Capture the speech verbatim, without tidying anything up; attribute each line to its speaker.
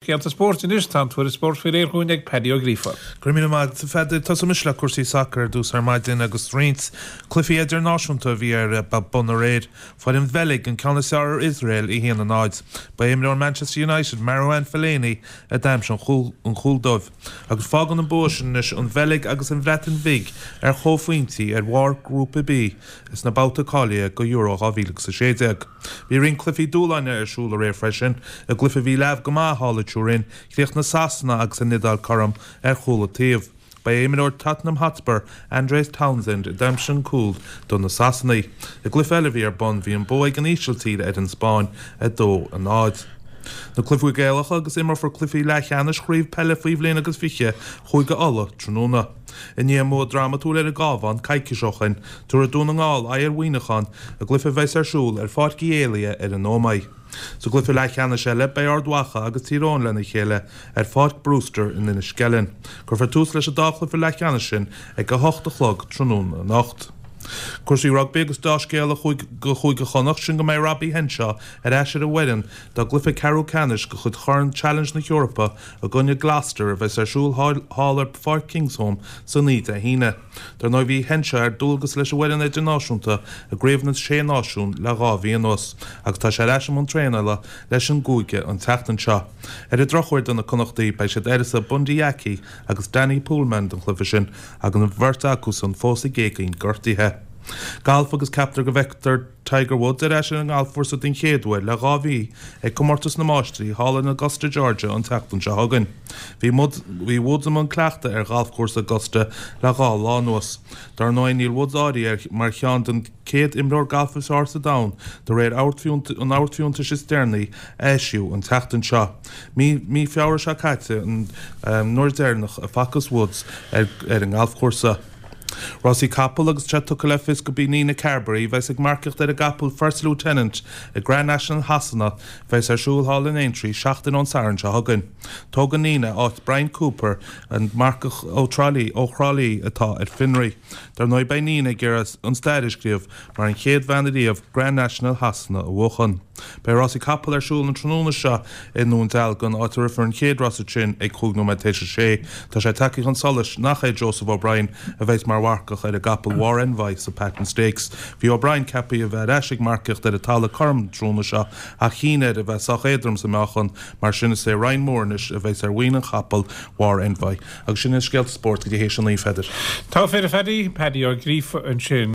Speaker 1: Scéalta spóirt anois, tá an tuairisc spóirt faoi réir chugainn ag Paddy Ó Gríofa.
Speaker 2: Go raibh míle maith agat, a Pheadair. Tosóidh mise le cúrsaí sacair ar dtús ar maidin agus roinnt cluichí idirnáisiúnta a bhí ar bun aréir. Fuair an Bheilg an ceann is fearr ar Iosrael, a haon a náid. Ba é imreoir Manchester United, Marouane Fellaini, a d'aimsigh an cúl dóibh. Agus fágann an bua sin anois an Bheilg agus an Bhreatain Bhig ar chomhphointí ar bharr Ghrúpa B sna babhtaí cáilithe go Euro dhá mhíle agus a sé déag. Bhí roinnt cluichí dúshláin ar siúl aréir freisin. I gcluiche a bhí leamh go maith thall i Turin, chríochnaigh Sasana agus an Iodáil cothrom ar chúl an taobh. Ba é imreoir Tottenham Hotspur, Andros Townsend, a d'aimsigh an cúl do na Sasanaigh. I gcluiche eile a bhí ar bun, bhí an bua ag an Ísiltír ar an Spáinn, a dó a náid. Na cluichí Gaelacha agus imreofar cluichí leathcheannais Chraobh Peile faoi bhliain agus fiche Chúige Uladh tráthnóna. I ndiaidh a mbua drámatúil ar an gCabhán coicís ó shin, tabharfaidh Dún na nGall aghaidh ar Mhuineachán i gcluiche a bheas ar siúl ar Pháirc Uí Éalaithe ar an Ómaigh. Sa gcluiche leathcheannais eile, beidh Ard Mhacha agus Tír Eoghain lena chéile ar Pháirc Brewster in Inis Ceithleann. Cuirfear tús leis an dá chluiche leathcheannais sin ag a hocht a chlog tráthnóna anocht. Cúrsaí rugbaí agus dea-scéala do Chúige Chonnacht sin go mbeidh Robbie Henshaw ar ais ar an bhfoireann dá gcluiche ceathrú ceannais de chuid Chorn Challenge na hEorpa i gcoinne Gloucester a bheas ar siúl thall ar Pháirc Kingsholm san Oíche Dé hAoine. Dar ndóigh bhí Henshaw ar dualgas leis an bhfoireann idirnáisiúnta i gCraobh na Sé Náisiún le dhá mhí anuas agus tá sé ar ais i mbun traenála leis an gcúige an tseachtain seo. Ar an drochuair do na Connachtaigh beidh siad uireasa Bundee Aki agus Danny Poolman don chluiche sin agus an bheirt acusan fós ag géibheann gortaithe. Galf agus ceaptar go bhfeicfear Tiger Woods ar ais ar an ngalfchúrsa den chéad uair le dhá mhí ag Comórtas na Máistrí thall in Augusta, Georgia an tseachtain seo chugainn. Bhí Bhí Woods i mbun cleachtaidh ar ghalfchúrsa Augusta le dhá lá anuas. Dar ndóigh níl Woods áirithe mar cheann den céad imreoir gailf is fearr sa domhan de réir an amharcfhiúntais is deireanaí a eisíodh an tseachtain seo. Mí mí Feabhra seo caite an uair dheireanach a facthas Woods ar an ngalfchúrsa. Rásaí capall agus tá sé tugtha le fios gurb í Nina Carberry a bheas ag marcaíocht ar an gcapall First Lieutenant i Grand National Shasana a bheas ar siúl thall in Aintree seachtain ón Satharn seo chugainn. Tógann Nina áit Bryan Cooper, an marcach ó Thrá Lí ó Thrá Lí atá ar fionraí. Dar ndóigh beidh Nina ag iarraidh an stair a scríobh mar an chéad bhean ariamh Grand National Shasana a bhuachan. Beidh rásaí capall ar siúl an tráthnóna seo i nDún Dealgan, áit a rithfear an chéad rás ansin ag cúig nóiméad tar éis a sé. Tá sé tagtha chun solais nach é Joseph O'Brien a bheas mar mharcach ar an gcapall War Envoy sa Patent Stakes. Bhí O'Brien ceaptha a bheith ar ais ag marcaíocht ar an talamh cothrom an tráthnóna seo ach chinn air a bheith sách éadrom sa meáchan, mar sin is é Ryan Moore anois a bheas ar mhuin an chapaill War Envoy. Agus sin iad scéalta spóirt go dtí théis a naoi, a Pheadair.
Speaker 1: Tá fir a Phaddy, Paddy Ó Gríofa ansin.